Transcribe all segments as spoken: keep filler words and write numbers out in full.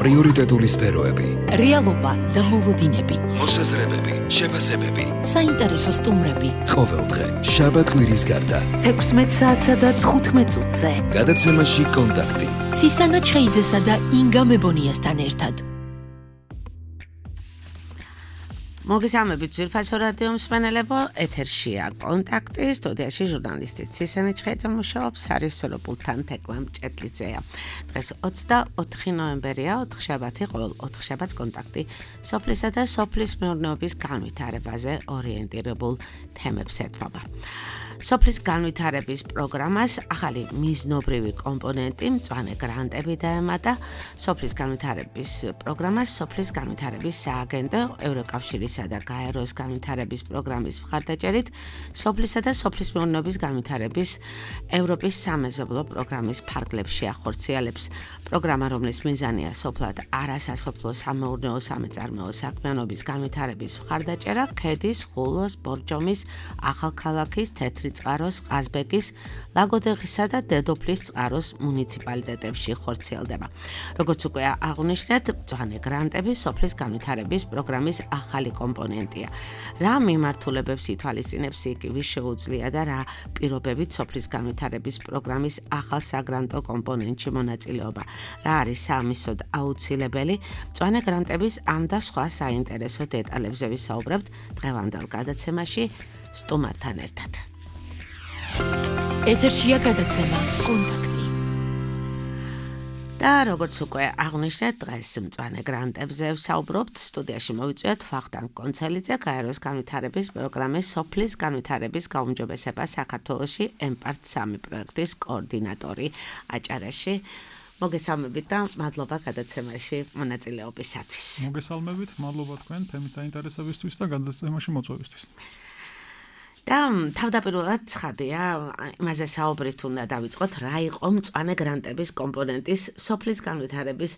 პრიორიტეტული სფეროები, რეალობა და მოლოდინები, მოსაზრებები, შეფასებები, საინტერესო სტუმრები. ყოველდღე შაბათ-კვირის გარდა თექვსმეტ საათსა და თხუთმეტ წუთზე გადაცემაში კონტაქტი ცისანა ჩხეიძესა და ინგა მებონიასთან ერთად. მოგესალმებით ძვირფასო რადიო მსმენელებო, ეთერშია კონტაქტი, სტუდიაში ჟურნალისტი ცისანა ჩხეიძე მუშაობს, სარისორო პულტთან თეკლა მჭედლიძეა. დღეს ოცდაოთხი ნოემბერია, ოთხშაბათი, ყოველ ოთხშაბათს კონტაქტი სოფლისა და სოფლის მეურნეობის განვითარებაზე ორიენტირებულ თემებს ეთმობა. სოფლის განვითარების პროგრამას ახალი მიზნობრივი კომპონენტი, მწვანე გრანტები დაემატა. სოფლის განვითარების პროგრამას სოფლის განვითარების სააგენტო, ევროკავშირისა და გაეროს განვითარების პროგრამის მხარდაჭერით, სოფლისა და სოფლის მეურნეობის განვითარების ევროპის სამეზობლო პროგრამის ფარგლებში ახორციელებს. პროგრამა, რომლის მიზანია სოფლად არასასოფლო სამეურნეო სამეწარმეო საქმიანობის განვითარების მხარდაჭერა, ქედის, ხულოს, ბორჯომის, ახალქალაქის, თეთრი წყაროს, ყაზბეგის, ლაგოდეხისა და დედოფლის წყაროს მუნიციპალიტეტებში ხორციელდება. როგორც უკვე აღნიშნეთ, მწვანე გრანტები სოფლის განვითარების პროგრამის ახალი კომპონენტია. რა მიმართულებებს ითვალისწინებს იგი, ვის შეუძლია და რა პირობებით სოფლის განვითარების პროგრამის ახალ საგრანტო კომპონენტში მონაწილეობა. რა არის საამისოდ აუცილებელი? მწვანე გრანტების ამ და სხვა საინტერესო დეტალებზე ვისაუბრებთ დღევანდელ გადაცემაში სტუმართან ერთად. ეთერშია გადაცემა კონტაქტი. და როგორც უკვე აღნიშნეთ, დღეს მწვანე გრანტებზე ვსაუბრობთ. სტუდიაში მოვიწვიეთ ვახტანგ კონცელიძე, გაეროს განვითარების პროგრამის სოფლის განვითარების გაუმჯობესება საქართველოში ემპარტ სამი პროექტის კოორდინატორი აჭარაში. მოგესალმებით და მადლობა გადაცემაში მონაწილეობისათვის. მოგესალმებით, მადლობა თქვენ თემით დაინტერესებისთვის და გადაცემაში მოწვევისთვის. და თავდაპირველად ცხადია, იმაზე საუბრით უნდა დავიწყოთ, რა იყო მწვანე გრანტების კომპონენტის სოფლის განვითარების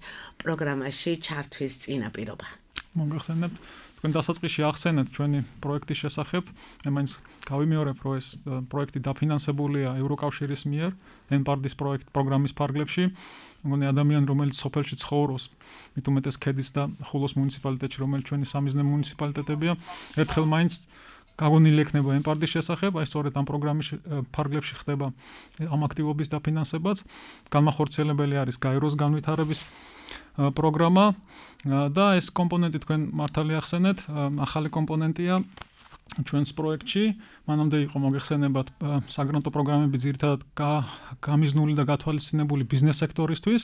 პროგრამაში ჩართვის წინაპირობა. მოგეხსენებთ, თქვენ დასაწყისში ახსენეთ ჩვენი პროექტის შესახებ, მე მაინც გავიმეორებ, რომ ეს პროექტი დაფინანსებულია ევროკავშირის მიერ, ემპარტის პროექტ პროგრამის ფარგლებში. მგონი ადამიანი, რომელიც სოფელში ცხოვრობს, მით უმეტეს ქედის და ხულოს მუნიციპალიტეტში, რომელიც ჩვენი სამიზნე მუნიციპალიტეტებია, ერთხელ მაინც გაგონილი ექნება ემპარტის შესახებ, აი სწორედ ამ პროგრამის ფარგლებში ხდება ამ აქტივობის დაფინანსებაც. განმახორციელებელი არის გაეროს განვითარების პროგრამა და ეს კომპონენტი თქვენ მართალი ახსენეთ, ახალი კომპონენტია ჩვენს პროექტში. მანამდე იყო მოგეხსენებათ საგრანტო პროგრამები ძირითადად გამიზნული და გათვალისწინებული ბიზნეს სექტორისთვის.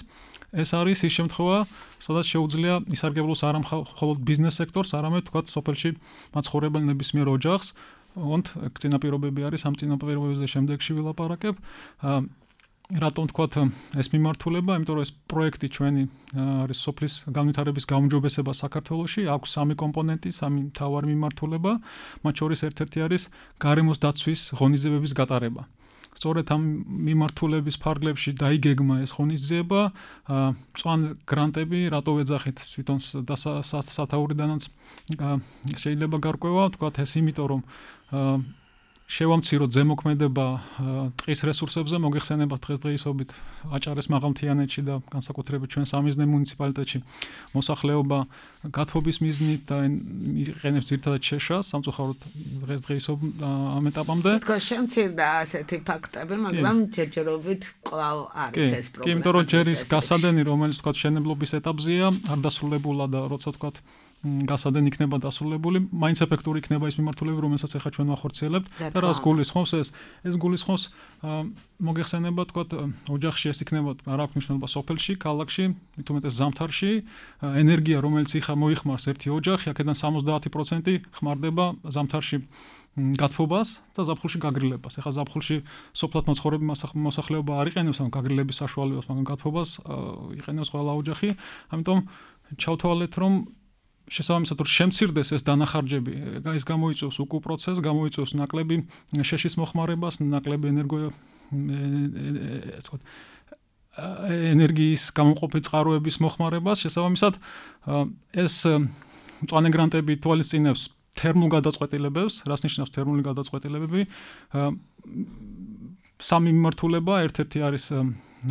ეს არის ის შემთხვევა, სადაც შეუძლია ისარგებლოს არა მხოლოდ ბიზნეს სექტორს, არამედ თქვათ სოფელში მაცხოვრებელ ნებისმიერ ოჯახს. ოღონდ წინაპირობები არის, ამ წინაპირობებზე შემდეგში ვილაპარაკებ. რატომ თქვათ ეს მიმართულება? იმიტომ რომ ეს პროექტი ჩვენი არის სოფლის განვითარების გაუმჯობესება საქართველოში, აქვს სამი კომპონენტი, სამი მთავარი მიმართულება, მათ შორის ერთ-ერთი არის გარემოს დაცვის ღონისძიებების გატარება. სწორედ ამ მიმართულების ფარგლებში დაიგეგმა ეს ღონისძიება, მწვანე გრანტები, რატო ვეძახით თვითონ სათაურიდანაც შეიძლება გარკვევა, თქვათ ეს იმიტომ რომ შევამციროთ ზემოქმედება ტყის რესურსებზე, მოგეხსენებათ დღესდღეობით აჭარის მაღალმთიანეთში და განსაკუთრებით ჩვენ სამიზნე მუნიციპალიტეტში მოსახლეობა გათბობის მიზნით და იყენებს ძირითადად შეშას, სამწუხაროდ დღესდღეობით ამ ეტაპამდე. თქო შემცირდა ასეთი ფაქტები, მაგრამ ჯერჯერობით კვლავ არის ეს პრობლემა. კი, იმიტომ რომ ჯერ ის გასადენი, რომელიც თქვათ შენებლობის ეტაპზეა, არ დასრულებულა და როცა თქვათ გასადენი იქნება დასრულებული, მაინც ეფექტური იქნება ის მიმართულება, რომელსაც ახლა ჩვენ ვახორციელებთ და რას გულისხმობს ეს? ეს გულისხმობს მოგეხსენება, თქვათ, ოჯახში ეს იქნება, არ აქვს მნიშვნელობა სოფელში, ქალაქში, მით უმეტეს ზამთარში, ენერგია, რომელიც იხა მოიხმარს ერთი ოჯახი, აქედან სამოცდაათი პროცენტი ხმარდება ზამთარში გათბობას და ზაფხულში გაგრილებას. ახლა ზაფხულში სოფლად მოცხოვრები მოსახლეობა არ იყენებს ამ გაგრილების საშუალებას, მაგრამ გათბობას იყენებს ყველა ოჯახი. ამიტომ ჩავთვალეთ, რომ შესაბამისად რომ შემცირდეს ეს დანახარჯები, ეს გამოიწვევს უკუ პროცესს, გამოიწვევს ნაკლები შეშის მოხმარებას, ნაკლები ენერგო ენერგიის გამომყოფი წყაროების მოხმარებას, შესაბამისად ეს მწვანე გრანტები თვალისწინებს თერმულ გადაწყვეტილებებს, რას ნიშნავს თერმული გადაწყვეტილებები? სამი მიმართულება, ერთ-ერთი არის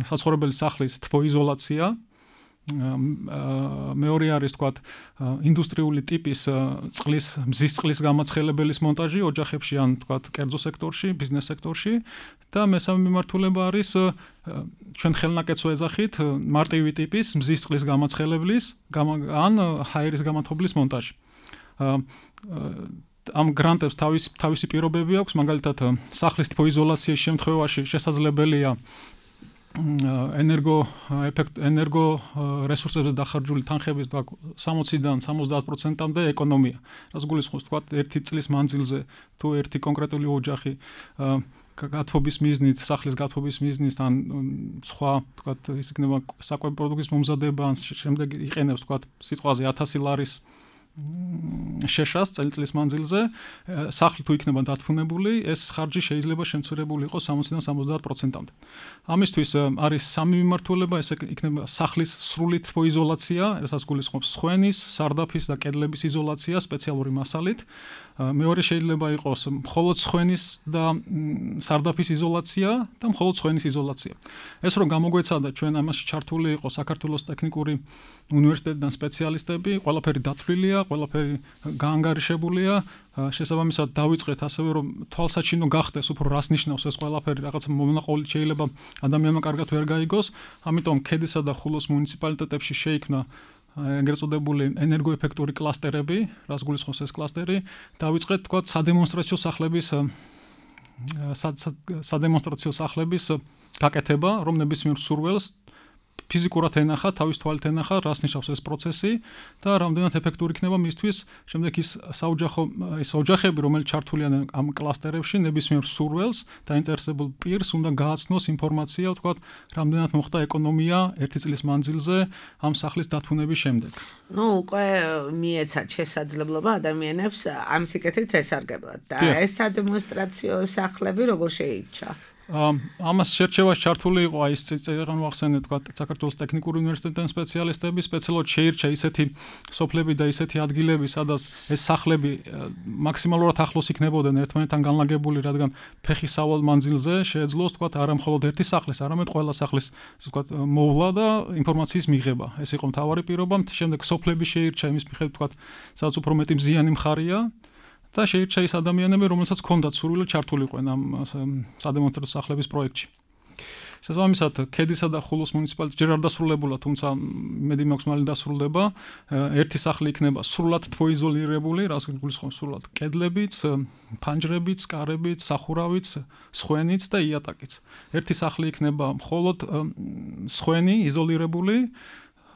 საცხოვრებელი სახლის თბოიზოლაცია, მეორე არის თქვათ ინდუსტრიული ტიპის წყლის მზის წყლის გამაცხელებელის მონტაჟი ოჯახებში ან თქვათ კერძო სექტორში, ბიზნეს სექტორში და მესამე მიმართულება არის ჩვენ ხელნაკეთს ვეძახით მარტივი ტიპის მზის წყლის გამაცხელებლის ან ჰაერის გამათბობლის მონტაჟი. ამ გრანტებს თავის თავისი პირობები აქვს, მაგალითად სახლის თბოიზოლაციის შემთხვევაში შესაძლებელია ენერგო ეფექტ ენერგო რესურსებზე დახარჯული თანხების სამოციდან სამოცდაათ პროცენტამდე ეკონომია. რაც გულისხმობს თქვა ერთი წლის მანძილზე თუ ერთი კონკრეტული ოჯახი გათბობის მიზნით, სახლის გათბობის მიზნით ან სხვა თქვა ის იქნება საკვები პროდუქტის მომზადება ან შემდეგ იყენებს თქვა სიტყვაზე ათასი ლარის შეშას წელიწლის მანძილზე სახლი თუ იქნება დათფუნებული, ეს ხარჯი შეიძლება შემცირებული იყოს სამოციდან სამოცდაათ პროცენტამდე. ამისთვის არის სამი მიმართულება, ეს იქნება სახლის სრული თბოიზოლაცია, რასაც გულისხმობს სხვენის, სარდაფის და კედლების იზოლაცია სპეციალური მასალით. მეორე შეიძლება იყოს მხოლოდ სხვენის და სარდაფის იზოლაცია და მხოლოდ სხვენის იზოლაცია. ეს რომ გამოგვეცადა ჩვენ ამაში ჩართული იყო საქართველოს ტექნიკური უნივერსიტეტიდან სპეციალისტები, ყველაფერი დათვლილია, ყველაფერი გაანგარიშებულია, შესაბამისად დავიწყეთ ასევე რომ თვალსაჩინო გახდეს უფრო რას ნიშნავს ეს ყველაფერი, რაღაც მონაყოლით შეიძლება ადამიანმა კარგად ვერ გაიგოს, ამიტომ ქედისა და ხულოს მუნიციპალიტეტებში შეიქმნა ეგრეთ წოდებული ენერგოეფექტური კლასტერები, რაც გულისხმობს ეს კლასტერი, დავიწყეთ თქვა სადემონსტრაციო სახლების სადემონსტრაციო სახლების გაკეთება, რომ ნებისმიერ სურველს ფიზიკურად ენახა, თავის თვალით ენახა, რას ნიშნავს ეს პროცესი და რამდენად ეფექტური იქნება მისთვის, შემდეგ ის საოჯახო ის ოჯახები, რომელიც ჩართულიან ამ კლასტერებში, ნებისმიერ სურველს დაინტერესებულ პირს უნდა გააცნოს ინფორმაცია, თქვა, რამდენად მოხდა ეკონომია ერთი წლის მანძილზე ამ სახლის დათუნების შემდეგ. ნუ უკვე მიეცათ შესაძლებლობა ადამიანებს ამ სიკეთით ესარგებლად და ეს სადემონსტრაციო სახლები როგორ შეირჩა? ამას შერჩევაში ჩართული იყო აი ეს წეგან ვახსენე თქვა საქართველოს ტექნიკური უნივერსიტეტიდან სპეციალისტები, სპეციალურად შეირჩა ისეთი სოფლები და ისეთი ადგილები, სადაც ეს სახლები მაქსიმალურად ახლოს იქნებოდნენ ერთმანეთთან განლაგებული, რადგან ფეხის სავალ მანძილზე შეეძლოს თქვა არა მხოლოდ ერთი სახლის, არამედ ყველა სახლის თქვა მოვლა და ინფორმაციის მიღება. ეს იყო მთავარი პირობა. შემდეგ სოფლები შეირჩა იმის მიხედვით თქვა, სადაც უფრო მეტი მზიანი მხარეა. და შეირჩა ის ადამიანები, რომელსაც ჰქონდათ სურვილი ჩართულიყვნენ ამ სადემონსტრაციო სახლების პროექტში. შესაბამისად, ქედისა და ხულოს მუნიციპალიტეტი ჯერ არ დასრულებულა, თუმცა მედი მაქვს მალე დასრულდება. ერთი სახლი იქნება სრულად თბოიზოლირებული, რაც გულისხმობს სრულად კედლებიც, ფანჯრებიც, კარებიც, სახურავიც, სხვენიც და იატაკიც. ერთი სახლი იქნება მხოლოდ სხვენი იზოლირებული,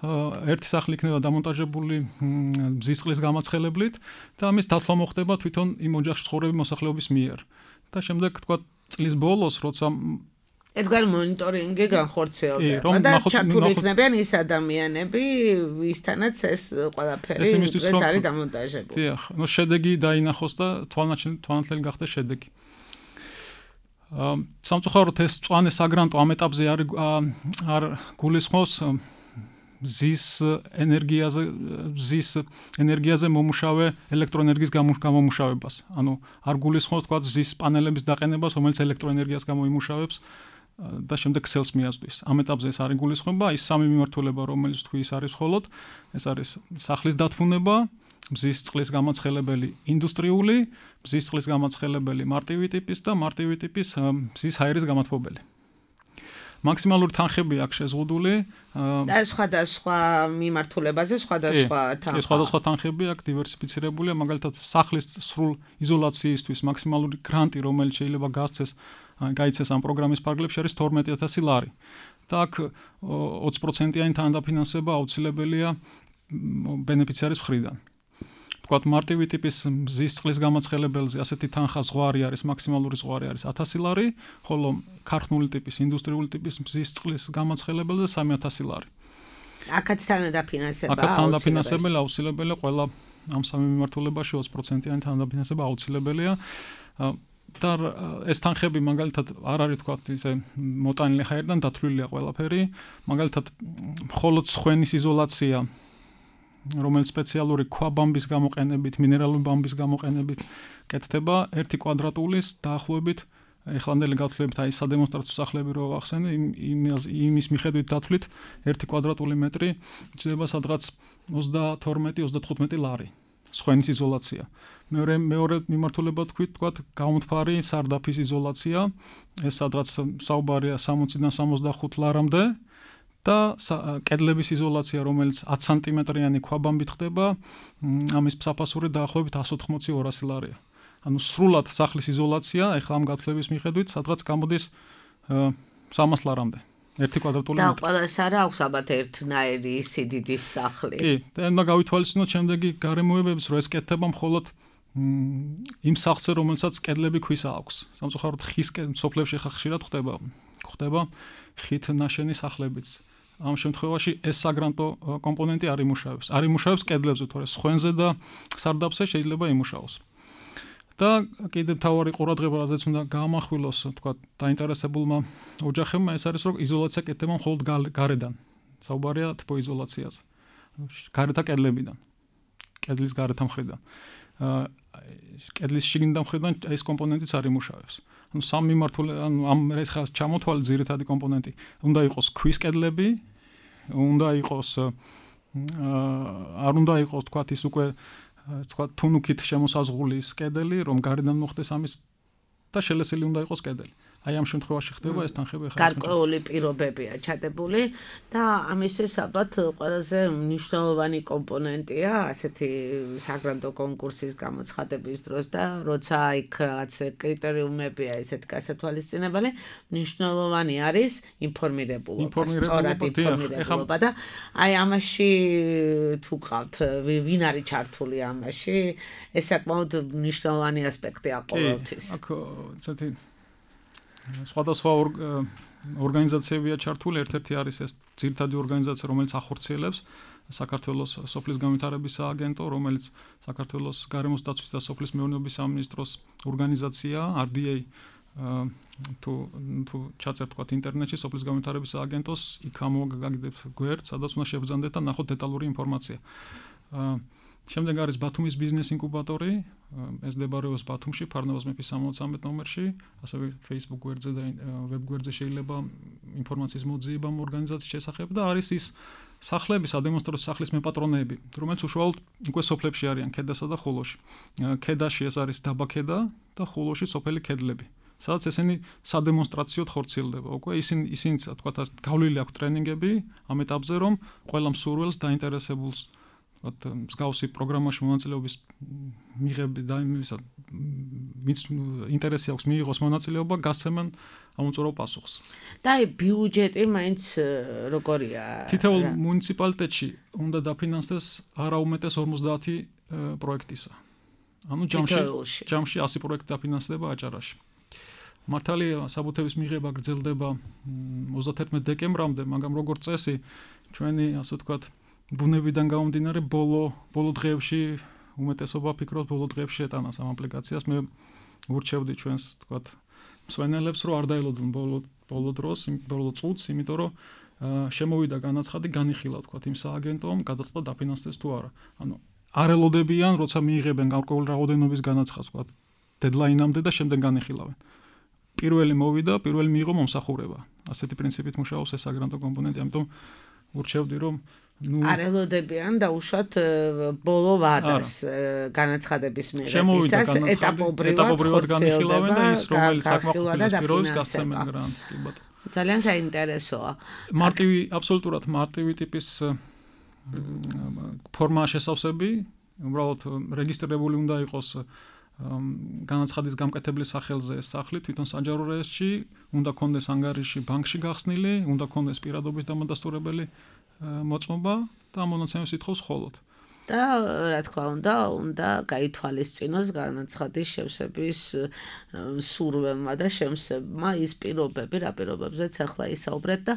ერთი სახლი იქნება დამონტაჟებული მზის წყლის გამაცხელებლით და ამის დათვლა მოხდება თვითონ იმ ოჯახში ცხოვრები მოსახლეობის მიერ. და შემდეგ თქვა წლის ბოლოს, როცა ერთგვარი მონიტორინგი განხორციელდება და ჩართული იქნებიან ის ადამიანები, ვისთანაც ეს ყველაფერი ეს არის დამონტაჟებული. დიახ, ნუ შედეგი დაინახოს და თვალნათლელი გახდეს შედეგი. სამწუხაროდ ეს მწვანე საგრანტო ამ ეტაპზე არ არ გულისხმობს მზის ენერგიაზე მზის ენერგიაზე მომუშავე ელექტროენერგიის გამომუშავებას. ანუ არ გულისხმობს თქვა მზის პანელების დაყენებას, რომელიც ელექტროენერგიას გამოიმუშავებს და შემდეგ ქსელს მიაწვდის. ამ ეტაპზე ეს არის გულისხმობა, ის სამი მიმართულება, რომელიც თქვი ის არის მხოლოდ, ეს არის სახლის დათმუნება, მზის წყლის გამაცხელებელი ინდუსტრიული, მზის წყლის გამაცხელებელი მარტივი ტიპის და მარტივი ტიპის მზის ჰაერის გამათბობელი. მაქსიმალური თანხები აქვს შეზღუდული და სხვადასხვა მიმართულებაზე სხვადასხვა თანხა. ეს სხვადასხვა თანხები აქვს დივერსიფიცირებულია, მაგალითად სახლის სრულ იზოლაციისთვის მაქსიმალური გრანტი, რომელიც შეიძლება გასცეს, გაიცეს ამ პროგრამის ფარგლებში არის თორმეტი ათასი ლარი. და აქ ოცი პროცენტიანი თანადაფინანსება აუცილებელია ბენეფიციარის მხრიდან. თქვათ მარტივი ტიპის მზის წყლის გამაცხელებელზე ასეთი თანხა ზღვარი არის, მაქსიმალური ზღვარი არის ათასი ლარი, ხოლო ქარხნული ტიპის, ინდუსტრიული ტიპის მზის წყლის გამაცხელებელზე სამი ათასი ლარი. აქაც თანადაფინანსება აქაც თანადაფინანსებელი აუცილებელია ყველა ამ სამი მიმართულებაში ოცი პროცენტიანი თანადაფინანსება აუცილებელია. და ეს თანხები მაგალითად არ არის თქვა ისე მოტანილი ჰაერიდან დათვლილია ყველაფერი, მაგალითად მხოლოდ სხვენის იზოლაცია, რომელიც სპეციალური ქვაბამბის გამოყენებით, მინერალური ბამბის გამოყენებით კეთდება ერთი კვადრატულის დაახლოებით ეხლანდელი გათვლებით აი სადემონსტრაციო სახლები რო ვახსენე, იმის იმის მიხედვით დათვლით ერთი კვადრატული მეტრი ჭირდება სადღაც ოცდათორმეტი ოცდათხუთმეტი ლარი. სხვენის იზოლაცია. მეორე მეორე მიმართულება თქვით, თქვათ, გამომთფარი სარდაფის იზოლაცია, ეს სადღაც საუბარია სამოციდან სამოცდახუთ ლარამდე და კედლების იზოლაცია, რომელიც ათი სანტიმეტრიანი ქვაბამბით ხდება, ამის საფასური დაახლოებით εκατს ოთხმოცი ორასი ლარია. ანუ სრულად სახლის იზოლაცია, ეხლა ამ გათვლების მიხედვით, სადღაც გამოდის სამას ლარამდე. ერთი კვადრატული მეტრი. და ყველას არა აქვს ალბათ ერთნაირი სიდიდის სახლი. კი, და უნდა გავითვალისწინოთ შემდეგი გარემოებებს, რომ ეს კეთდება მხოლოდ იმ სახლზე, რომელსაც კედლები ქვისა აქვს. სამწუხაროდ ხის სოფლებში ხა ხშირად ხდება, ხდება ხით ნაშენი სახლებიც. ამ შემთხვევაში ეს საგრანტო კომპონენტი არ იმუშავებს. არ იმუშავებს კედლებზე, თორე სხვენზე და სარდაფზე შეიძლება იმუშაოს. და კიდევ თავარი ყურადღება, რაზეც უნდა გაამახვილოს, თქვა, დაინტერესებულმა ოჯახებმა, ეს არის, რომ იზოლაცია კეთდება მხოლოდ გარედან. საუბარია თბო იზოლაციაზე. გარეთა კედლებიდან. კედლის გარეთა მხრიდან. კედლის შიგნიდან მხრიდან ეს კომპონენტიც არ იმუშავებს. ანუ სამ მიმართულ ანუ ამ ეს ხა ჩამოთვალე ძირითადი კომპონენტი უნდა იყოს ქვის კედლები, უნდა იყოს არ უნდა იყოს, თქვა, ის უკვე თქვა თუნუქით შემოსაზღვრული კედელი, რომ გარედან მოხდეს ამის და შელესილი უნდა იყოს კედელი. აი ამ შემთხვევაში ხდება ეს თანხები ხა გარკვეული პირობებია ჩადებული და ამისთვის ალბათ ყველაზე მნიშვნელოვანი კომპონენტია ასეთი საგრანტო კონკურსის გამოცხადების დროს და როცა იქ რაც კრიტერიუმებია ესეთ გასათვალისწინებელი, მნიშვნელოვანი არის ინფორმირებულობა, სწორად ინფორმირებულობა და აი ამაში თუ ყავთ ვინ არის ჩართული ამაში, ეს საკმაოდ მნიშვნელოვანი ასპექტია ყოველთვის. აქ ცოტა სხვადასხვა ორგანიზაციებია ჩართული, ერთ-ერთი არის ეს ძირითადი ორგანიზაცია, რომელიც ახორციელებს საქართველოს სოფლის განვითარების სააგენტო, რომელიც საქართველოს გარემოს დაცვის და სოფლის მეურნეობის სამინისტროს ორგანიზაცია, არ დი ეი თუ თუ ჩაწერთ თქვა ინტერნეტში სოფლის განვითარების სააგენტოს, იქ ამოგაგდებთ გვერდს, სადაც უნდა შევბრძანდეთ და ნახოთ დეტალური ინფორმაცია. შემდეგ არის ბათუმის ბიზნეს ინკუბატორი, ეს მდებარეობს ბათუმში, ფარნავაზ მეფის სამოცამეტ ნომერში, ასევე Facebook გვერდზე და ვებ გვერდზე შეიძლება ინფორმაციის მოძიება ამ ორგანიზაციის შესახებ და არის ის სახლები, სადემონსტრაციო სახლის მეპატრონეები, რომელიც უშუალოდ უკვე სოფლებში არიან, ქედასა და ხულოში. ქედაში ეს არის დაბა ქედა და ხულოში სოფელი ქედლები. სადაც ესენი სადემონსტრაციოდ ხორციელდება. უკვე ისინი ისინი თქვა გავლილი აქვს ტრენინგები ამ ეტაპზე, რომ ყველა მსურველს დაინტერესებულს მსგავსი პროგრამაში მონაწილეობის მიღები და იმისა ვინც ინტერესი აქვს მიიღოს მონაწილეობა, გასცემენ ამოწურავ პასუხს. და აი ბიუჯეტი მაინც როგორია? თითოეულ მუნიციპალიტეტში უნდა დაფინანსდეს არაუმეტეს ორმოცდაათი პროექტისა. ანუ ჯამში ჯამში ასი პროექტი დაფინანსდება აჭარაში. მართალია საბუთების მიღება გრძელდება ოცდათერთმეტ დეკემბრამდე, მაგრამ როგორც წესი ჩვენი ასე ვთქვათ ბუნებიდან გამომდინარე ბოლო ბოლო დღეებში უმეტესობა ფიქრობს ბოლო დღეებში შეტანას ამ აპლიკაციას. მე ურჩევდი ჩვენს თქვათ მსვენელებს, რომ არ დაელოდონ ბოლო ბოლო დროს, ბოლო წუთს, იმიტომ რომ შემოვიდა განაცხადი, განიხილა თქვათ იმ სააგენტომ, გადაწყდა დაფინანსდეს თუ არა. ანუ არ ელოდებიან, როცა მიიღებენ გარკვეული რაოდენობის განაცხადს, თქვათ დედლაინამდე და შემდეგ განიხილავენ. პირველი მოვიდა, პირველი მიიღო მომსახურება. ასეთი პრინციპით მუშაობს ეს საგრანტო კომპონენტი, ამიტომ ურჩევდი, რომ ნუ არ ელოდებიან და უშუალოდ ბოლო ვადას განაცხადების მიღებისას ეტაპობრივად განიხილავენ და ის რომელიც საკმაოდ პირობს გასცემენ გრანტს, კი ბატონო. ძალიან საინტერესოა. მარტივი, აბსოლუტურად მარტივი ტიპის ფორმა შესავსები, უბრალოდ რეგისტრირებული უნდა იყოს განაცხადის გამკეთებლის სახელზე ეს სახლი თვითონ საჯარო რეესტრში, უნდა კონდეს ანგარიში ბანკში გახსნილი, უნდა კონდეს პირადობის დამადასტურებელი მოწმობა და მონაცემებს ითხოვს ხოლოდ. და რა თქმა უნდა, უნდა გაითვალისწინოს განაცხადის შევსების სურვემმა და შემსებმა ის პირობები, რა პირობებზეც ახლა ისაუბრეთ და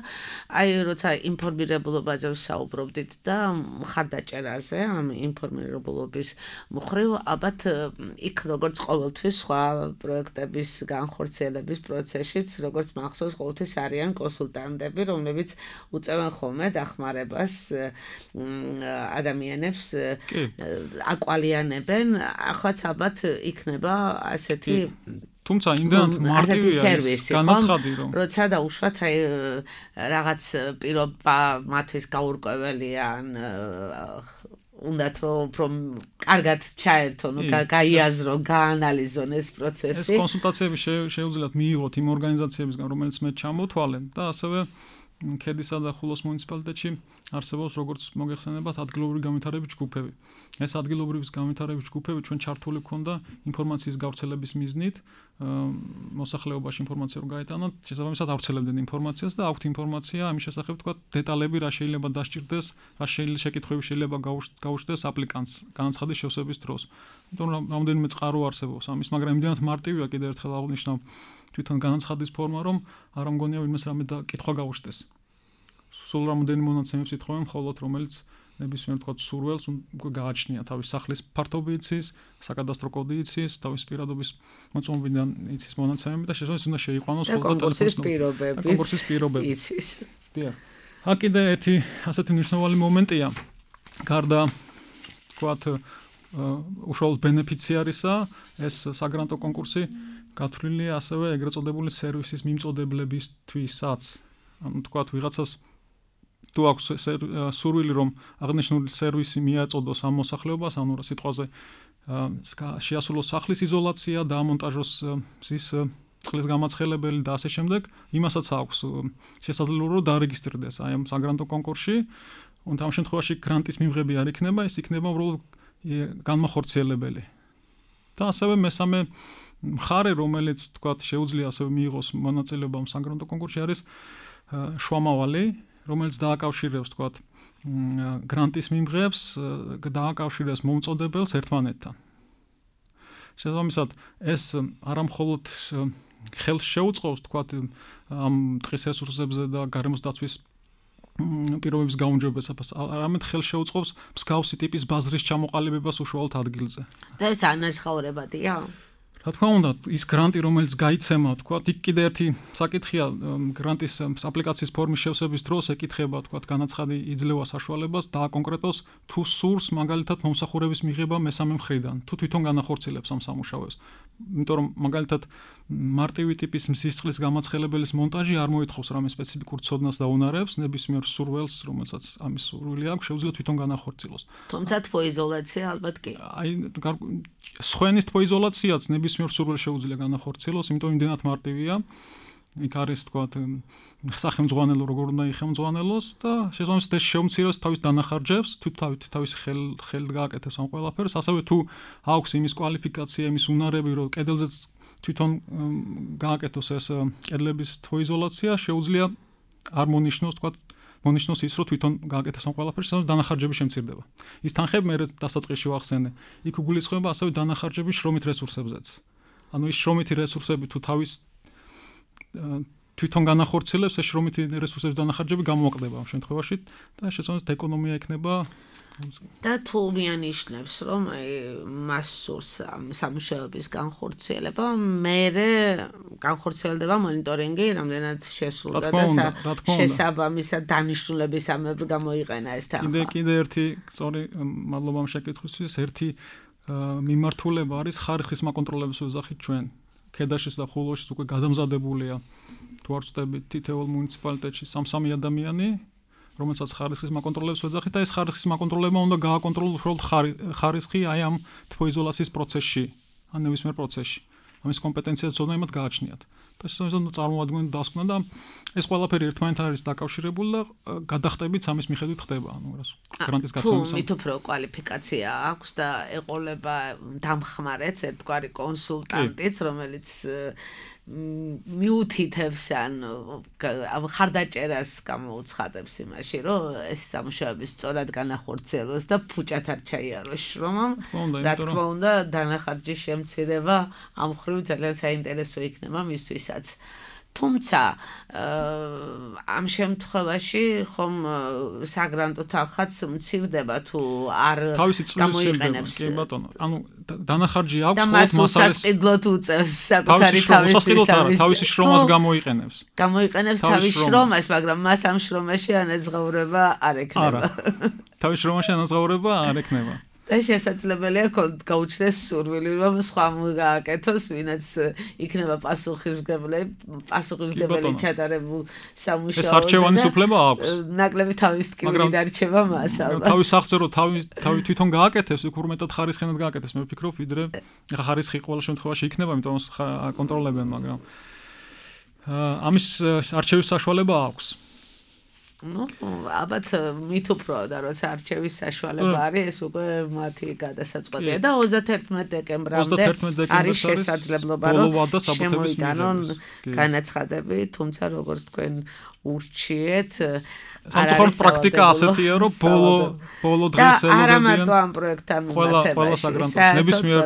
აი როცა ინფორმირებულობაზე ვსაუბრობდით და მხარდაჭერაზე, ამ ინფორმირებულობის მხრივ, ალბათ იქ როგორც ყოველთვის სხვა პროექტების განხორციელების პროცესშიც, როგორც მახსოვს, ყოველთვის არიან კონსულტანტები, რომლებიც უწევენ ხოლმე დახმარებას ადამიანებს აკვალიანებენ, ახლაც ალბათ იქნება ასეთი თუმცა იმდენად მარტივია ეს განაცხადი რომ როცა დაუშვათ აი რაღაც პირობა მათთვის გაურკვეველია ან უნდათ რომ კარგად ჩაერთონ, გაიაზრონ, გაანალიზონ ეს პროცესი. ეს კონსულტაციები შეუძლიათ მიიღოთ იმ ორგანიზაციებისგან, რომელიც მე ჩამოთვალე და ასევე ქედისა და ხულოს მუნიციპალიტეტში არსებობს როგორც მოგეხსენებათ ადგილობრივი განვითარების ჯგუფები. ეს ადგილობრივი განვითარების ჯგუფები ჩვენ ჩართული გვქონდა ინფორმაციის გავრცელების მიზნით, მოსახლეობაში ინფორმაცია რომ გაეტანოთ, შესაბამისად ავრცელებდნენ ინფორმაციას და აქვთ ინფორმაცია ამის შესახებ თქვა დეტალები რა შეიძლება დასჭირდეს, რა შეიძლება შეკითხვები შეიძლება გაუჩნდეს აპლიკანტს განაცხადის შევსების დროს. იმიტომ რომ რამდენიმე წყარო არსებობს ამის, მაგრამ იმდენად მარტივია კიდევ ერთხელ აღვნიშნავ თვითონ განაცხადის ფორმა, რომ არ მგონია ვინმეს რამე და კითხვა გაუჩნდეს. სულ რამდენი მონაცემებს ითხოვენ, მხოლოდ რომელიც ნებისმიერ თქვა სურველს გააჩნია თავის სახლის ფართობი იცის, საკადასტრო კოდი იცის, თავის პირადობის მოწმობიდან იცის მონაცემები და შესაძლოა უნდა შეიყვანოს ხოლმე კონკურსის პირობები. კონკურსის პირობები იცის. დიახ. აქ კიდე ერთი ასეთი მნიშვნელოვანი მომენტია. გარდა თქვათ უშუალოდ ბენეფიციარისა, ეს საგრანტო კონკურსი გათვლილია ასევე ეგრეთ წოდებული სერვისის მიმწოდებლებისთვისაც. ანუ თქვათ ვიღაცას თუ აქვს სურვილი რომ აღნიშნული სერვისი მიაწოდოს ამ მოსახლეობას, ანუ სიტყვაზე შეასრულოს სახლის იზოლაცია, დაამონტაჟოს მზის წყლის გამაცხელებელი და ასე შემდეგ, იმასაც აქვს შესაძლებლობა რომ დარეგისტრდეს აი ამ საგრანტო კონკურსში. და ამ შემთხვევაში გრანტის მიღები არ იქნება, ეს იქნება უბრალოდ განმახორციელებელი. და ასევე მესამე მხარე, რომელიც თქვათ შეუძლია ასევე მიიღოს მონაწილეობა ამ საგრანტო კონკურსში არის შუამავალი, რომელიც დააკავშირებს თქვათ გრანტის მიმღებს, დააკავშირებს მომწოდებელს ერთმანეთთან. შესაბამისად, ეს არამხოლოდ ხელს შეუწყობს თქვათ ამ ტყის რესურსებზე და გარემოს დაცვის პირობების გაუმჯობესებას, არამედ ხელს შეუწყობს მსგავსი ტიპის ბაზრის ჩამოყალიბებას უშუალოდ ადგილზე. და ეს ანაზღაურებადია? რა თქმა უნდა, ის გრანტი, რომელიც გაიცემა, თქვა, იქ კიდე ერთი საკითხია, გრანტის აპლიკაციის ფორმის შევსების დროს ეკითხება, თქვა, განაცხადი იძლევა საშუალებას დააკონკრეტოს თუ სურს მაგალითად მომსახურების მიღება მესამე მხრიდან, თუ თვითონ განახორციელებს ამ სამუშაოებს. იმიტომ რომ მაგალითად მარტივი ტიპის მზის წყლის გამაცხელებელის მონტაჟი არ მოითხოვს რამე სპეციფიკურ ცოდნას და უნარებს, ნებისმიერ სურველს, რომელსაც ამის სურვილი აქვს, შეუძლია თვითონ განახორციელოს. თუმცა თბოიზოლაცია ალბათ კი. აი სხვენის თბოიზოლაციაც ნებისმიერ სურველს შეუძლია განახორციელოს, იმიტომ იმდენად მარტივია. იქ არის თქვათ სახელმძღვანელო როგორ უნდა იხელმძღვანელოს და შესაბამისად ეს შეუმცირებს თავის დანახარჯებს, თუ თავის ხელით გააკეთებს ამ ყველაფერს, ასევე თუ აქვს იმის კვალიფიკაცია, იმის უნარები, რომ კედელზეც თვითონ გააკეთოს ეს კედლების თბოიზოლაცია, შეუძლია არ მონიშნოს თქვათ მონიშნოს ის, რომ თვითონ გააკეთოს ამ ყველაფერს, და დანახარჯები შემცირდება. ის თანხები მე დასაწყისში ვახსენე. იქ უგულისხმება ასევე დანახარჯები შრომით რესურსებზეც. ანუ ის შრომითი რესურსები თუ თავის თვითონ განახორციელებს, ეს შრომითი რესურსების დანახარჯები გამოაკლდება ამ შემთხვევაში და შესაბამისად ეკონომია იქნება. და თუ მიანიშნებს, რომ მას სურს სამუშაოების განხორციელება, მერე განხორციელდება მონიტორინგი, რამდენად შესრულდა და შესაბამისად დანიშნულებისამებრ გამოიყენა ეს თანხა. კიდე კიდე ერთი სწორი მადლობა ამ შეკითხვისთვის, ერთი მიმართულება არის ხარისხის მაკონტროლების ოჯახით ჩვენ. ქედაშის და ხულოშიც უკვე გადამზადებულია თუ არ ვწდებით თითოეულ მუნიციპალიტეტში სამსამი ადამიანი, რომელსაც ხარისხის მაკონტროლებს ვეძახით და ეს ხარისხის მაკონტროლებმა უნდა გააკონტროლოს უბრალოდ ხარისხი აი ამ თბოიზოლაციის პროცესში, ან ნებისმიერ პროცესში. ამის კომპეტენცია ცოდნა იმათ გააჩნიათ. და შესაბამისად წარმოადგენენ დასკვნა და ეს ყველაფერი ერთმანეთთან არის დაკავშირებული და გადახტებიც ამის მიხედვით ხდება, ანუ გრანტის გაცემის. თუ მით უფრო კვალიფიკაცია აქვს და ეყოლება დამხმარეც, ერთგვარი კონსულტანტიც, რომელიც მიუთითებს ან ხარდაჭერას გამოუცხადებს იმაში, რომ ეს სამუშაოები სწორად განახორციელოს და ფუჭად არ ჩაიაროს შრომამ. რა თქმა უნდა, დანახარჯის შემცირება ამ მხრივ ძალიან საინტერესო იქნება მისთვისაც. თუმცა ამ შემთხვევაში ხომ საგრანტო თანხაც მცირდება თუ არ გამოიყენებს. კი ბატონო, ანუ დანახარჯი აქვს ხოლმე მასალას. და მას უსასყიდლოდ უწევს საკუთარი თავის თავისი შრომას გამოიყენებს. გამოიყენებს თავის შრომას, მაგრამ მას ამ შრომაში ანაზღაურება არ ექნება. არა. თავის შრომაში ანაზღაურება არ ექნება. და შესაძლებელია გაუჩნდეს სურვილი, რომ სხვა გააკეთოს, ვინაც იქნება პასუხისმგებელი, პასუხისმგებელი ჩატარებულ სამუშაოზე. ეს არჩევანის უფლება აქვს. ნაკლები თავის ტკივილი დარჩება მას ალბათ. თავის სახზე რომ თავი თავი თვითონ გააკეთებს, იქ უმეტად ხარისხენად გააკეთებს, მე ვფიქრობ, ვიდრე ხა ხარისხი ყოველ შემთხვევაში იქნება, იმიტომ რომ აკონტროლებენ, მაგრამ ამის არჩევის საშუალება აქვს. ну, ალბათ მით უფრო და როცა არჩევის საშუალება არის, ეს უკვე მათი გადასაწყვეტია და ოცდაერთმეტ დეკემბრამდე არის შესაძლებლობა, რომ შემოიტანონ განაცხადები, თუმცა როგორც თქვენ ურჩიეთ, სამწუხაროდ პრაქტიკა ასეთია, რომ ბოლო ბოლო დღეს ელოდებიან. არა მარტო ამ პროექტთან მიმართებაში, ნებისმიერ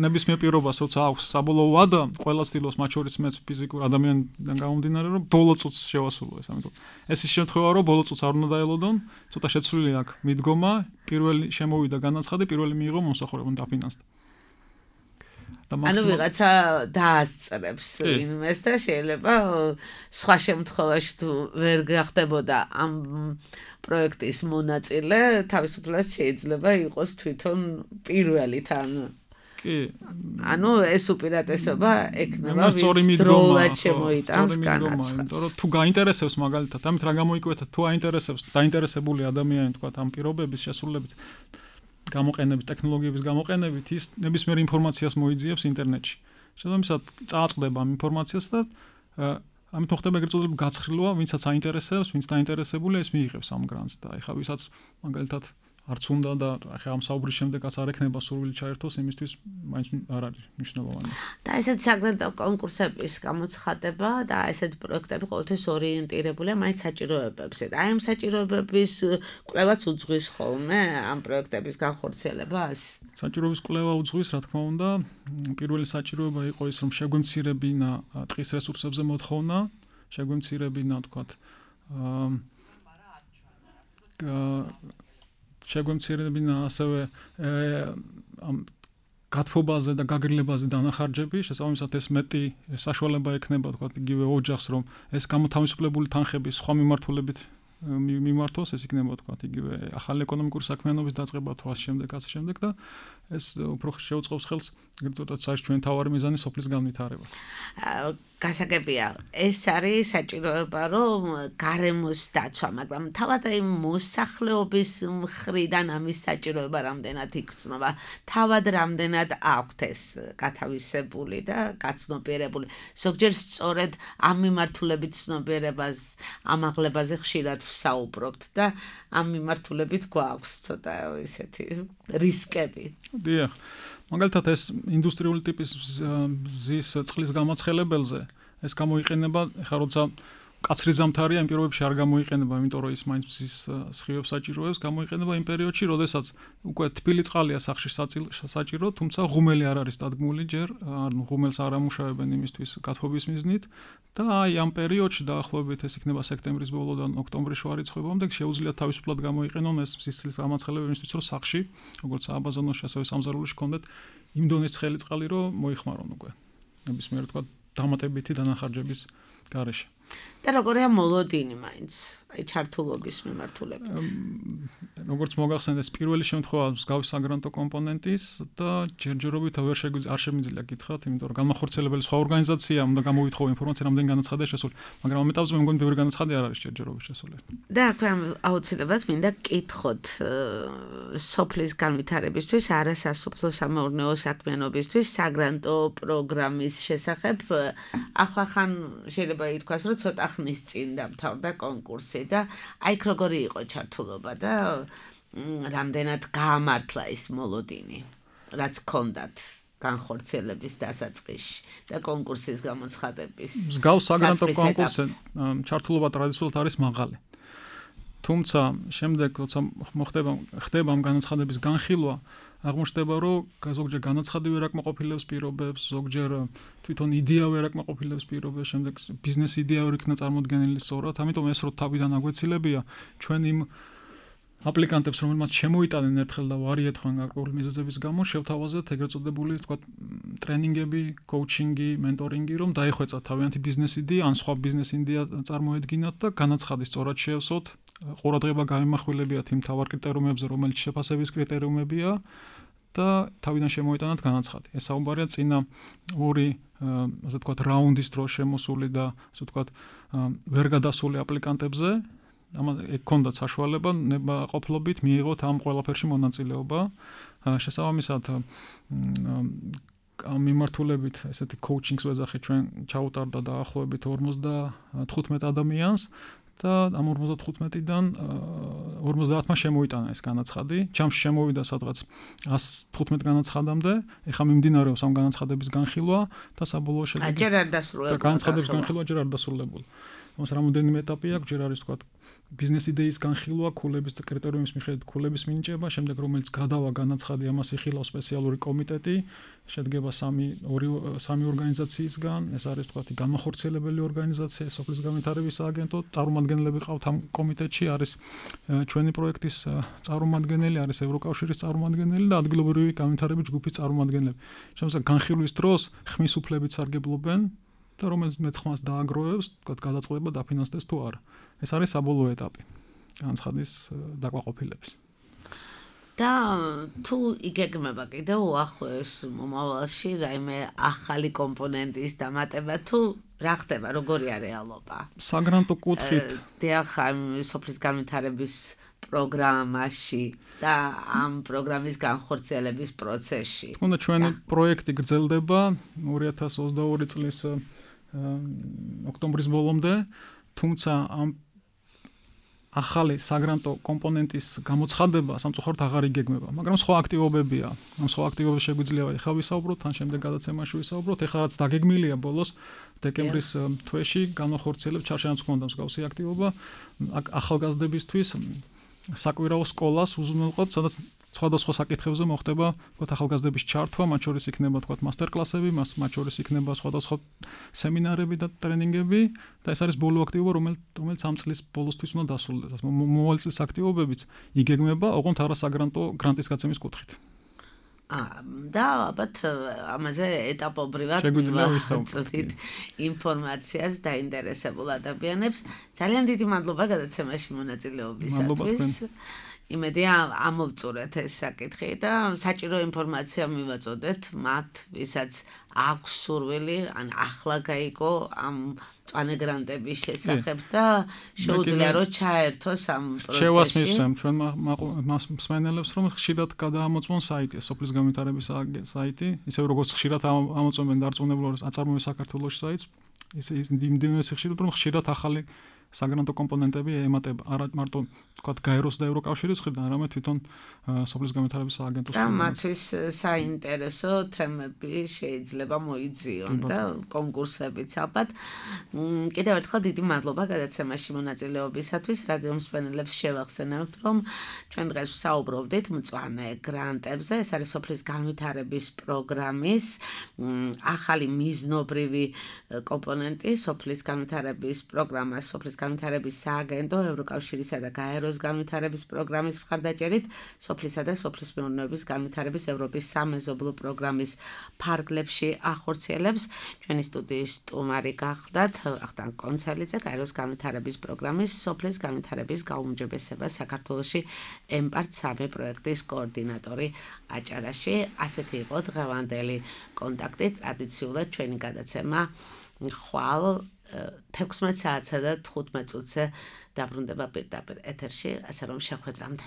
ნებისმიერ პირობას როცა აქვს საბოლოო ვადა, ყველა ცდილობს მათ შორის მეც ფიზიკურ ადამიანიდან გამომდინარე, რომ ბოლო წუთს შევასრულო ეს, ამიტომ ეს ის შემთხვევა, რომ ბოლო წუთს არ უნდა დაელოდონ, ცოტა შეცვლილი აქვს მიდგომა, პირველი შემოვიდა განაცხადი, პირველი მიიღო მომსახურება დაფინანსდა. ანუ ვიღაცა დაასწრებს იმას და შეიძლება სხვა შემთხვევაში თუ ვერ გახდებოდა ამ პროექტის მონაწილე, თავისუფლად შეიძლება იყოს თვითონ პირველი თან. კი. ანუ ეს უპირატესობა ექნება ვის დროულად შემოიტანს განაცხადს. იმიტომ რომ თუ გაინტერესებს მაგალითად, ამით რა გამოიკვეთა, თუ აინტერესებს, დაინტერესებული ადამიანი თქვა ამ პირობების შესრულებით გამოყენებით, ტექნოლოგიების გამოყენებით, ის ნებისმიერ ინფორმაციას მოიძიებს ინტერნეტში. შესაბამისად, წააწყდება ამ ინფორმაციას და ამით მოხდება ეგრეთ წოდებული გაცხრილვა, ვინცაც აინტერესებს, ვინც დაინტერესებულია, ის მიიღებს ამ გრანტს და ეხლა ვისაც მაგალითად არც უნდა და ახლა ამ საუბრის შემდეგაც არ ექნება სურვილი ჩაერთოს, იმისთვის მაინც არ არის მნიშვნელოვანი. და ესეთ საგრანტო კონკურსების გამოცხადება და ესეთ პროექტები ყოველთვის ორიენტირებულია მაინც საჭიროებებზე. და აი ამ საჭიროებების კვლევაც უძღვის ხოლმე ამ პროექტების განხორციელებას? საჭიროების კვლევა უძღვის, რა თქმა უნდა. პირველი საჭიროება იყო ის, რომ შეგვემცირებინა ტყის რესურსებზე მოთხოვნა, შეგვემცირებინა, თქვათ, აა შეგვემცირებინა ასევე ამ გათბობაზე და გაგრილებაზე დანახარჯები, შესაბამისად ეს მეტი საშუალება ექნება, თქვათ, იგივე ოჯახს, რომ ეს გამოთავისუფლებული თანხები სხვა მიმართულებით მიმართოს, ეს იქნება, თქვათ, იგივე ახალი ეკონომიკური საქმიანობის დაწყება თუ ასე შემდეგ, ასე შემდეგ და ეს უფრო შეუწყობს ხელს ეგრეთ წოდათ საერთოდ ჩვენ თავარი მიზანი სოფლის განვითარებას. გასაგებია, ეს არის საჭიროება, რომ გარემოს დაცვა, მაგრამ თავად აი მოსახლეობის მხრიდან ამის საჭიროება რამდენად იქცნობა, თავად რამდენად აქვთ ეს გათავისებული და გაცნობიერებული. ზოგჯერ სწორედ ამ მიმართულებით ცნობიერებას, ამაღლებაზე ხშირად ვსაუბრობთ და ამ მიმართულებით გვაქვს ცოტა ისეთი რისკები. დიახ. მაგალითად ეს ინდუსტრიული ტიპის მზის წყლის გამაცხელებელზე ეს გამოიყენება, ეხლა როცა კაცრი ზამთარია, იმ პირობებში არ გამოიყენება, იმიტომ რომ ის მაინც მზის სხივებს საჭიროებს, გამოიყენება იმ პერიოდში, როდესაც უკვე თბილი წყალია სახში საჭირო, თუმცა ღუმელი არ არის დადგმული ჯერ, ანუ ღუმელს არ ამუშავებენ იმისთვის გათბობის მიზნით და აი ამ პერიოდში დაახლოებით ეს იქნება სექტემბრის ბოლოდან ოქტომბრის შუა რიცხვებამდე შეუძლიათ თავისუფლად გამოიყენონ ეს მზის წყლის გამაცხელებელი იმისთვის, რომ სახში, როგორც აბაზონოში, ასევე სამზარეულოში კონდეთ იმ დონის ცხელი წყალი, რომ მოიხმარონ უკვე. ნებისმიერ თქვა დამატებითი დანახარჯების გარეშე. და როგორია მოლოდინი მაინც, აი ჩართულობის მიმართულებით. როგორც მოგახსენეთ, ეს პირველი შემთხვევა მსგავსი საგრანტო კომპონენტის და ჯერჯერობით ვერ შეგვიძლია არ შემიძლია გითხრათ, იმიტომ რომ განმახორციელებელი სხვა ორგანიზაცია უნდა გამოვითხოვო ინფორმაცია, რამდენი განაცხადია შესული, მაგრამ ამ ეტაპზე მე მგონი ბევრი განაცხადი არ არის ჯერჯერობით შესული. და აქვე აუცილებლად მინდა კითხოთ სოფლის განვითარებისთვის, არასასოფლო-სამეურნეო საქმიანობისთვის საგრანტო პროგრამის შესახებ. ახლა ხან შეიძლება ითქვას, რომ ცოტა ხნის წინ დამთავრდა კონკურსი და აი როგორი იყო ჩართულობა და რამდენად გაამართლა ის მოლოდინი, რაც ჰქონდათ განხორციელების დასაწყისში და კონკურსის გამოცხადების. მსგავს საგრანტო კონკურსზე ჩართულობა ტრადიციულად არის მაღალი. თუმცა შემდეგ როცა მოხდება ხდება ამ განაცხადების განხილვა, აღმოჩნდება, რომ ზოგჯერ განაცხადი ვერ აკმაყოფილებს პირობებს, ზოგჯერ თვითონ იდეა ვერ აკმაყოფილებს პირობებს, შემდეგ ბიზნეს იდეა ვერ იქნა წარმოდგენილი სწორად, ამიტომ ეს რო თავიდან აგვეცილებია, ჩვენ იმ აპლიკანტებს, რომელმაც შემოიტანენ ერთხელ და ვარიეთ ხან გარკვეული მიზეზების გამო, შევთავაზეთ ეგრეთ წოდებული, თქვა, ტრენინგები, კოუჩინგი, მენტორინგი, რომ დაიხვეწა თავიანთი ბიზნეს იდეა, ან სხვა ბიზნეს იდეა წარმოედგინათ და განაცხადი სწორად შეევსოთ. ყურადღება გამიმახვილებიათ იმ თავარ კრიტერიუმებზე, რომელიც შეფასების კრიტერიუმებია და თავიდან შემოიტანათ განაცხადი. ეს საუბარია წინა ორი, ასე ვთქვათ, რაუნდის დროს შემოსული და ასე ვთქვათ, ვერ გადასული აპლიკანტებზე. ამას ექონდათ საშუალება ნება ყოფლობით მიიღოთ ამ ყველაფერში მონაწილეობა. შესაბამისად ამ მიმართულებით ესეთი კოუჩინგს ვეძახით ჩვენ ჩაუტარდა დაახლოებით ორმოცდათხუთმეტ ადამიანს და ამ ორმოცდათხუთმეტიდან ორმოცდაათმა შემოიტანა ეს განაცხადი. ჯამში შემოვიდა სადღაც ას თხუთმეტ განაცხადამდე. ეხლა მიმდინარეობს ამ განაცხადების განხილვა და საბოლოო შედეგი. ჯერ არ დასრულებული. და განაცხადების განხილვა ჯერ არ დასრულებული. ამას რამოდენიმე ეტაპი აქვს, ჯერ არის თქვა ბიზნეს იდეის განხილვა, ქულების და კრიტერიუმის მიხედვით ქულების მინიჭება, შემდეგ რომელიც გადავა განაცხადი, ამას იხილავს სპეციალური კომიტეტი, შედგება სამი ორი სამი ორგანიზაციისგან, ეს არის თქვა განმახორციელებელი ორგანიზაცია, სოფლის განვითარების სააგენტო, წარმომადგენლები ყავთ ამ კომიტეტში, არის ჩვენი პროექტის წარმომადგენელი, არის ევროკავშირის წარმომადგენელი და ადგილობრივი განვითარების ჯგუფის წარმომადგენლები. შემოსა განხილვის დროს ხმის უფლებით სარგებლობენ და რომელიც მეცხმას დააგროვებს, თქვა გადაწყდება დაფინანსდეს თუ არა. ეს არის საბოლოო ეტაპი განცხადის დაკვაყოფილების. და თუ იგეგმება კიდევ უახლოეს მომავალში რაიმე ახალი კომპონენტის დამატება თუ რა ხდება, როგორია რეალობა? საგრანტო კუთხით დიახ, სოფლის განვითარების პროგრამაში და ამ პროგრამის განხორციელების პროცესში. თქონდა ჩვენი პროექტი გრძელდება ორი ათას ოცდაორი წლის ოქტომბრის ბოლომდე, თუმცა ამ ახალი საგრანტო კომპონენტის გამოცხადება სამწუხაროდ აღარ იგეგმება, მაგრამ სხვა აქტივობებია. ამ სხვა აქტივობებს შეგვიძლია ეხლა ვისაუბროთ, თან შემდეგ გადაცემაში ვისაუბროთ. ეხლა რაც დაგეგმილია ბოლოს დეკემბრის თვეში განახორციელებს ჩარჩენაც გქონდა მსგავსი აქტივობა ახალგაზრდებისთვის საკვირაო სკოლას უზრუნველყოთ, სადაც სხვადასხვა საკითხებზე მოხდება, თქვათ, ახალგაზრდების ჩართვა, მათ შორის იქნება, თქვათ, მასტერკლასები, მათ შორის იქნება სხვადასხვა სემინარები და ტრენინგები და ეს არის ბოლო აქტივობა, რომელიც ამ წლის ბოლოსთვის უნდა დასრულდეს. მომავალ წლის აქტივობებიც იგეგმება, ოღონდ არასაგრანტო გრანტის გაცემის კუთხით. და ალბათ ამაზე ეტაპობრივად მივაწოდით ინფორმაციას დაინტერესებულ ადამიანებს. ძალიან დიდი მადლობა გადაცემაში მონაწილეობისათვის. იმედია ამოვწურეთ ეს საკითხი და საჭირო ინფორმაცია მივაწოდეთ მათ, ვისაც აქვს სურვილი, ან ახლა გაიგო ამ მწვანე გრანტების შესახებ და შეუძლია რომ ჩაერთოს ამ პროცესში. შევასმისვენ ჩვენ მსმენელებს, რომ ხშირად გადაამოწმონ საიტი, სოფლის განვითარების საიტი, ისე როგორც ხშირად ამოწმენ დარწმუნებულ აწარმოებს საქართველოს საიტს, ისე იმდენივე ხშირად რომ ხშირად ახალი საგრანტო კომპონენტები ემატება არა მარტო თქვა გაეროს და ევროკავშირის მხრიდან, არამედ თვითონ სოფლის განვითარების სააგენტოს მხრიდან. და მათთვის საინტერესო თემები შეიძლება მოიძიონ და კონკურსებიც ალბათ. კიდევ ერთხელ დიდი მადლობა გადაცემაში მონაწილეობისათვის. რადიო მსმენელებს შევახსენებთ, რომ ჩვენ დღეს ვსაუბრობდით მწვანე გრანტებზე. ეს არის სოფლის განვითარების პროგრამის ახალი მიზნობრივი კომპონენტი, სოფლის განვითარების პროგრამა, სოფლის განვითარების სააგენტო, ევროკავშირისა და გაეროს განვითარების პროგრამის მხარდაჭერით, სოფლისა და სოფლის მეურნეობის განვითარების ევროპის სამეზობლო პროგრამის ფარგლებში ახორციელებს. ჩვენი სტუდიის სტუმარი გახდათ ვახტანგ კონცელიძე, გაეროს განვითარების პროგრამის სოფლის განვითარების გაუმჯობესება საქართველოში ემპარტ სამი პროექტის კოორდინატორი აჭარაში. ასეთი იყო დღევანდელი კონტაქტი. ტრადიციულად ჩვენი გადაცემა ხვალ თექვსმეტ საათსა და თხუთმეტ წუთზე დაბრუნდება პირდაპირ ეთერში, ასე რომ შეხვედრამდე.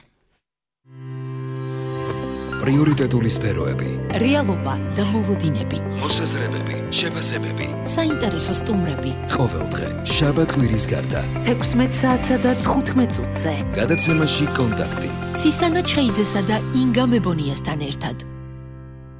პრიორიტეტული სფეროები, რეალობა და მოლოდინები, მოსაზრებები, შეფასებები, საინტერესო სტუმრები. ყოველდღე შაბათ კვირის გარდა თექვსმეტ საათსა და თხუთმეტ წუთზე გადაცემაში კონტაქტი. ცისანა ჩხეიძესა და ინგა მებონიასთან ერთად.